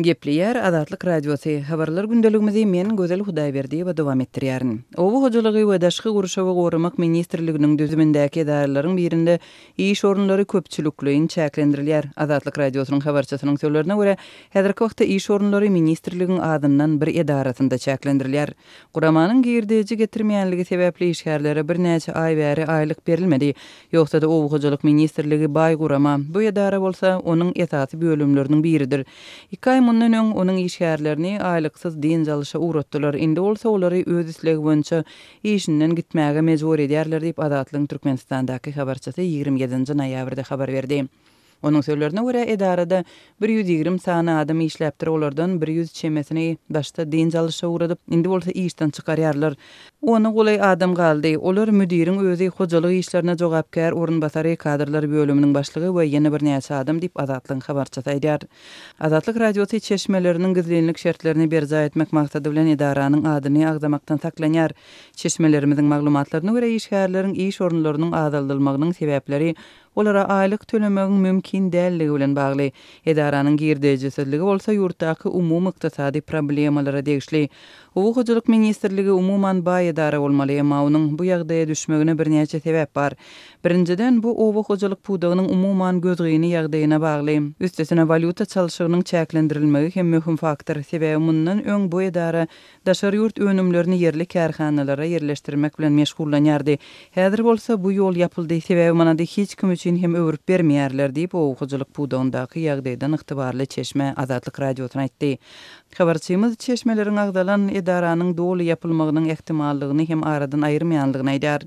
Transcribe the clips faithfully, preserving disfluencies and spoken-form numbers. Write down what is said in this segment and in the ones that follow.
Gepleýär Azatlyk Radiosy, Habarlar gündeligimizi men, Gözel Hudaýberdiýewa dowam etdirýärin. Oba hojalygy we daşky gurşawy goramak ministrliginiň düzümindäki edaralaryň birinde iş orunlary köpçülikleýin çäklendirilýär. Azatlyk Radiosynyň habarçysynyň sözlerine görä, häzirki wagtda iş orunlary ministrligiň azyndan bir edarasynda çäklendirilýär. Guramanyň girdeji getirmeýänligi sebäpli işgärlere birnäçe aý bäri aýlyk berilmedi. Ýogsa-da Oba hojalyk ministrligi baý gurama, bu edara bolsa onuň esasy bölümleriniň biridir. Iki aý mundan öň onuň işgärlerini aýlyksyz dynç alyşa ugratdylar, indi bolsa olary öz islegi boýunça işinden gitmäge mejbur edýärler diýip, Azatlygyň Türkmenistandaky habarçysy ýigrimi ýedinji noýabrda habar berdi. Onuň sözlerine görä, edarada bir ýüz ýigrimi sany adam işläpdir, olardan bir ýüz çemesini başda dynç alyşa ugradyp, indi bolsa işden çykarýarlar. Ona golaý adam galdy. Olar müdiriň özi, hojalyk işlerine jogapkär orunbasary, kadrlar bölüminiň başlygy we ýene birnäçe adam diýip, Azatlygyň habarçysy aýdýar. Azatlyk Radiosy çeşmeleriniň gizlinlik şertlerini berjaý etmek maksady bilen edaranyň adyny agzamakdan saklanýar. Çeşmelerimiziň maglumatlaryna görä, işgärleriň iş orunlarynyň azaldylmagynyň sebäpleri olara aýlyk tölemegiň mümkin dälligi bilen bagly. Edaranyň girdejisizligi bolsa ýurtdaky umumy ykdysady problemalara degişli. Oba hojalyk ministrligi umuman baý edara bolmaly, emma onuň bu ýagdaýa düşmegine birnäçe sebäp bar. Birinjiden, bu oba hojalyk pudagynyň umuman gözgyny ýagdaýyna bagly. Üstesine walýuta çalşygynyň çäklendirilmegi hem möhüm faktor. Sebäbi mundan öň bu edara daşary ýurt önümlerini ýerli kärhanalara ýerleşdirmek bilen meşgullanýardy. Häzir bolsa bu ýol ýapyldy, sebäbi manady hiç kim üçin hem öwrüp bermeýärler diýip, oba hojalyk pudagyndaky ýagdaýdan ygtybarly çeşme Azatlyk Radiosyna aýtdy. Habarçymyz çeşmeleriň agzalan edaranyň doly ýapylmagynyň ähtimallygyny hem aradan aýyrmaýanlygyny aýdýar.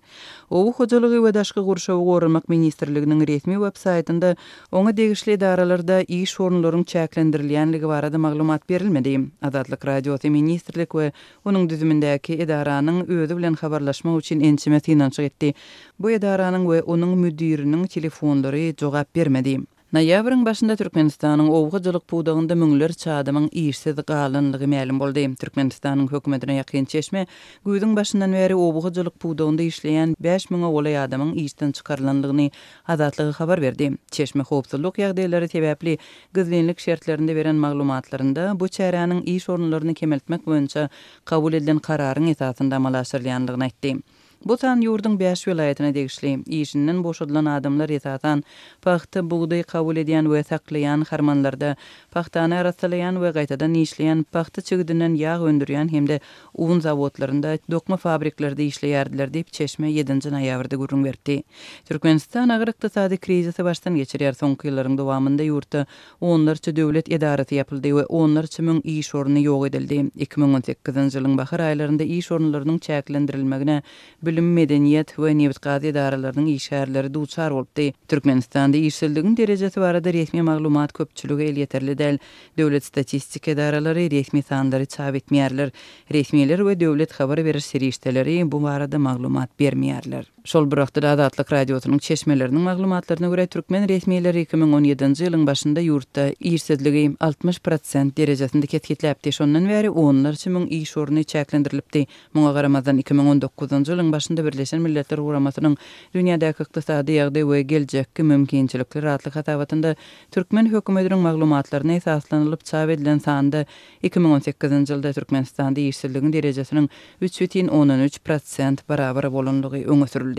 Oba hojalygy we daşky gurşawy goramak ministrliginiň resmi web saýtynda oňa degişli edaralarda iş orunlaryň çäklendirilýänligi barada maglumat berilmedi. Azatlyk Radiosy ministrlik we onuň düzümindäki edaranyň özi bilen habarlaşmak üçin ençeme synanyşyk etdi. Bu edaranyň we onuň müdiriniň telefonlary jogap bermedi. Noýabryň başynda Türkmenistanyň oba hojalyk pudagynda müňlerçe adamyň işsiz galanlygy mälim boldy. Türkmenistanyň hökümetine ýakyn çeşme güýzüň başyndan bäri oba hojalyk pudagynda işleýän bäş müňe golaý adamyň işden çykarylanlygyny Azatlyga habar berdi. Çeşme howpsuzlyk ýagdaýlary sebäpli gizlinlik şertlerinde beren maglumatlarynda bu çäräniň iş orunlaryny kemeltmek boýunça kabul edilen kararyň esasynda amala aşyrylýandygyny aýtdy. Bu san ýurduň bäş welaýatyna degişli. Işinden boşadylan adamlar esasan pagta, bugdaý kabul edýän we saklaýan harmanlarda, pagtany arassalaýan we gaýtadan işleýän, pagta çigidinden ýag öndürýän hem-de un zawodlarynda, dokma fabriklerde işleýärdiler diýip, çeşme ýedinji noýabrda gürrüň beripdi. Türkmenistan agyr ykdysady krizisi başdan geçirýär. Soňky ýyllaryň dowamynda ýurtda onlarça döwlet edarasy ýapyldy we onlarça müň iş orny ýok edildi. Iki müň on sekizinji ýylyň bahar aýlarynda iş orunlarynyň çäklendirilmegine bilim, medeniýet we nebit-gaz edaralarynyň işgärleri duçar bolupdy. Türkmenistanda işsizligiň derejesi barada resmi maglumat köpçülige elýeterli däl. Döwlet statistika edaralary resmi sanlary çap etmeýärler. Resmiler we döwlet habar beriş serişdeleri bu barada maglumat bermeýärler. Şol bir wagtda Azatlyk Radiosynyň çeşmeleriniň maglumatlaryna görä, türkmen resmileri iki müň on ýedinji ýylyň başynda ýurtda işsizligi altmyş prosent derejesinde kesgitläpdi. Şondan bäri onlarça müň iş orny çäklendirilipdi. Muňa garamazdan, iki müň on dokuzynjy ýylyň başynda Birleşen Milletler Guramasynyň Dünýädäki ykdysady ýagdaý we geljekki mümkinçilikler atly hasabatynda türkmen hökümetiniň maglumatlaryna esaslanylyp çap edilen sanda iki müň on sekizinji ýylda Türkmenistanda işsizligiň derejesiniň üç bütin ondan üç prosent barabar bolanlygy öňe sürüldi.